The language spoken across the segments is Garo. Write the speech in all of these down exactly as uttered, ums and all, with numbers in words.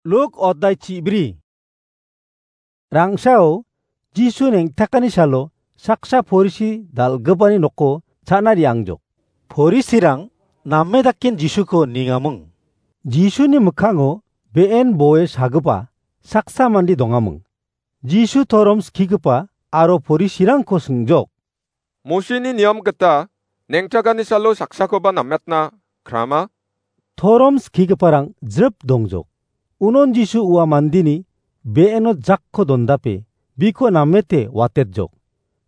Luk odai chibri. Rangsao Jisu neng·takani salo saksa porisi dal·gipani noko cha·na re·angjok. Porisirang name daken Jisuko ningaming. Jisuni mikkango be·en boe sagipa saksa mande dongaming. Jisu torom skigipa aro porisirangko singjok. Mosini niam gita neng·takani salo saksakoba nametna krama? Torom skigiparang jrip dongjok. Unon Jisu ua mandeni be·eno jakko dondape biko namete watetjok.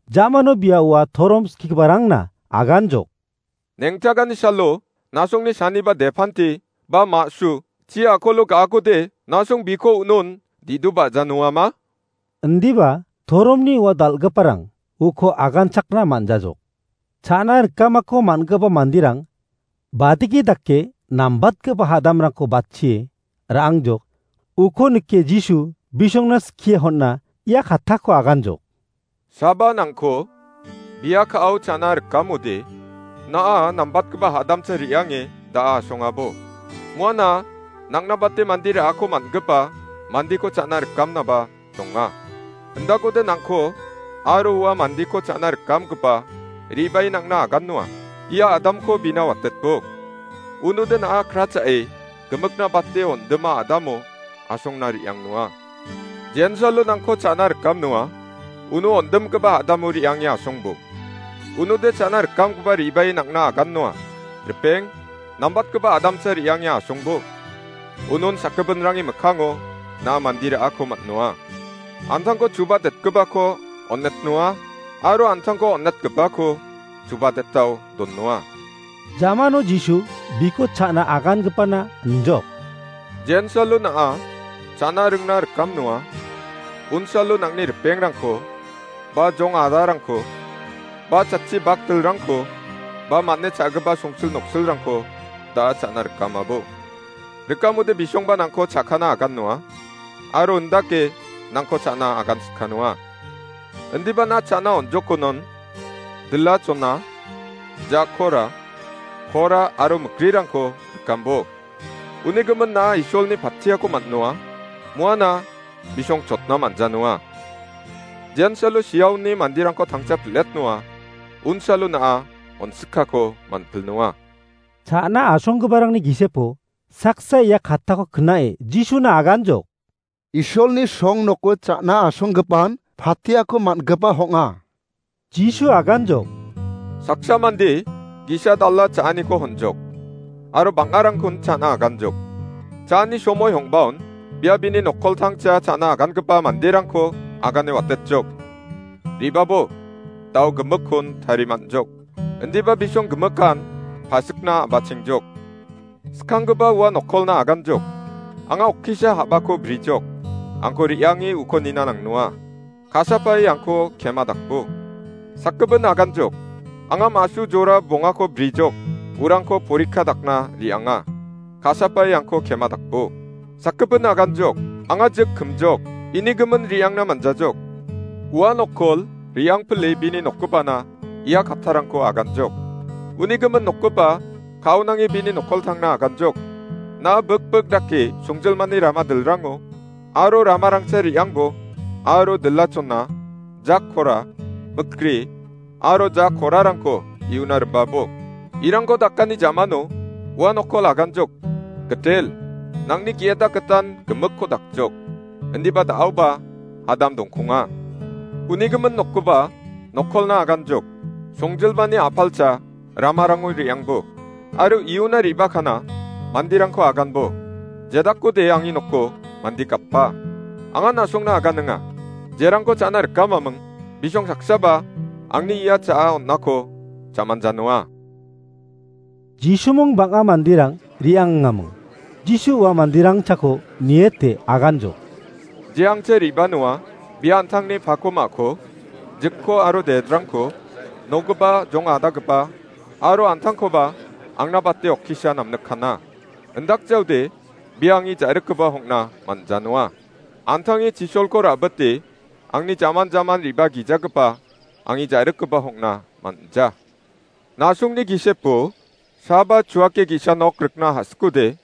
Jamano bia ua torom skigiparangna aganjok. Neng·takani salo nasongni saniba depanti ba ma·su chi akolo ga·akode nasong biko unon didu ba·janoama? Indiba toromni ua dal·giparang uko aganchakna man·jajok. Cha·na rikamako man·gipa manderang badiki dake nambatgipa hadamrangko batchie ra·angjok. Uko nike Jisu bisongna skie hon·na ia kattako aganjok. Saba nangko bia ka·ao cha·na rikamode, na·a nambatgipa hadamsa re·ange da·a asongabo. Muana nangna bate mande ra·ako man·gipa mandeko cha·na rikamnaba donga. Indakode nangko aro ua mandeko cha·na rikamgipa re·bae nangna agannoa. Ia adamko bina watetbo. Unode na·a kra cha·e gimikna bate on·dima adamo asongna re·angnoa. Jensalo nangko cha·na rikamnoa. Uno on·dimgipa adamo re·ange asongbo. Unode cha·na rikamgipa re·bae nangna agannoa. Ripeng, nambatgipa adamsa re·ange asongbo. Unon sakgipinrangni mikkango na mande ra·ako man·noa. Antangko chuba detgipako on·etnoa, aro antangko on·etgipako chuba detao donnoa. Jamano Jisu biko cha·na agangipana injok. Jensalo na·a cha·na ringna rikamnoa. Unsalo nangni ripengrangko, ba jong adarangko, ba chatchi bakdilrangko, ba man·e cha·gipa songsil noksilrangko da·a cha·na rikamabo. Rikamode bisongba nangko cha·kana agannoa, aro indake nangko cha·na agansikanoa. Indiba na cha·na on·jokonon, dila chona, jakora, kora aro mikrirangko rikambo. Uni gimin na Isolni patiako man·noa, muana bisong chotna man·janoa. Jensalo siaoni manderangko tangcha piletnoa, unsalo na·a on·sikako man·pilnoa. Cha·na asonggiparangni gisepo saksa ia kattako knae Jisuna aganjok. Isolni song noko cha·na asonggipan patiako man·gipa hong·a. Jisu aganjok. Saksa mande gisa dala cha·aniko honjok. Aro bang·arangkon cha·na aganjok. Cha·ani somoi hongbaon bia bini nokoltangcha cha·na agangipa manderangko agane watetjok. Ribabo, dao gimikkon tarimanjok. Indiba bisong gimikan pasikna a·bachengjok. Skanggipa ua nokolna aganjok. Anga okkisa ha·bako brijok. Angko re·ange uko nina nangnoa. Kasapae angko kema dakbo. Sakgipin aganjok. Anga ma·su jora bongako brijok. Urangko porikka dakna re·anga. Kasapae angko kema dakbo. Sakgipin aganjok. Anga jik kimjok. Ini gimin re·angna manjajok. Ua nokol re·angpile bini nokgipana ia kattarangko aganjok. Uni gimin nokgipa kaonange bini nokoltangna aganjok. Na·a bikbik dake songjilmani rama dilrango aro ramarangsa re·angbo aro dilachona, jakkora, mikri aro jakorarangko iuna ribabo. Irangko dakani jamano ua nokol aganjok. Gitel, nangni ge·eta gitan gimikko dakjok. Indiba da·aoba adam dongkonga. Uni gimin nokgipa nokolna aganjok. Songjilmani apalcha ramarango re·angbo. Aro iuna re·bakana manderangko aganbo. Jedakode angni noko mande gapa. Anga na·songna aganinga. Jerangko cha·na rikamaming, bisong saksaba angni ia cha·a on·ako cha·manjanoa. Jisumung bang·a manderang re·angaming. Jisu ua manderang chako niete aganjok. Je angcha re·banoa bia an·tangni pako ma·ko, jikko aro dedrangko, nokgipa, jong adagipa, aro an·tangkoba angna bate okkisa namnikkana. Indakjaode bia angni ja·rikgipa hong·na man·janoa. An·tangni chisolko ra·bite angni jaman jaman re·ba gijagipa angni ja·rikgipa hong·na man·ja. Na·songni gisepo saba chuake ge·sa nok rikna ha·sikode,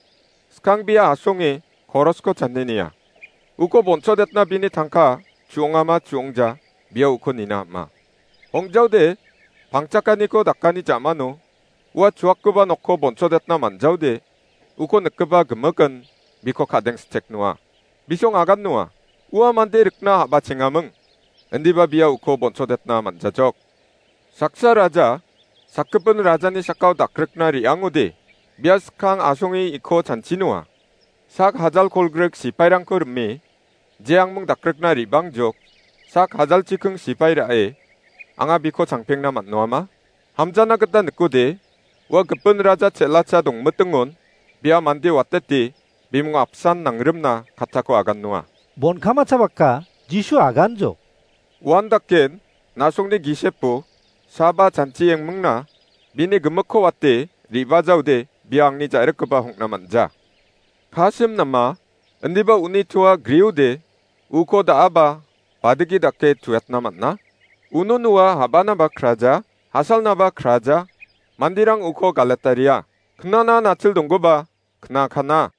skangbia asonge korosko channe nia. Uko bonchodetna bini tangka chu·ongama chu·ongja, bia uko nina am·a. Ong·jaode, pangchakaniko dakani ja·mano ua chuakgipa nokko bonchodetna man·jaode, uko nikgipa gimikin biko ka·deng sitek noa. Bisong agan noa. Ua mande rikna ha·bachengaming, indiba bia uko bonchodetna man·jajok. Saksa raja, sakgipin rajani sakao dakrikna re·angode, bia skang asonge iko chanchi noa. Sak hajal kolgrik sipairangko rime, je angming dakrikna re·bangjok, sak hajal chiking sipai ra·e, anga biko changpengna man·noama? Hamjana gita nikode, ua gipin raja chel·acha dongmitingon, bia mande watete, bimung apsan nangrimna kattako agan noa. Bon kamachapaka, Jisu aganjok. Uan daken, na·songni gisepo, saba chanchi engmingna, bini gimikko wate, re·bajaode, bia angni ja·rikgipa hongna man·ja. Kasim nama, indiba uni toa griode, uko da·aba, badigi dake tuetna man·a. Uno noa habanaba kraja, hasalnaba kraja, manderang uko galetaria. Knana natil donggipa, knakana.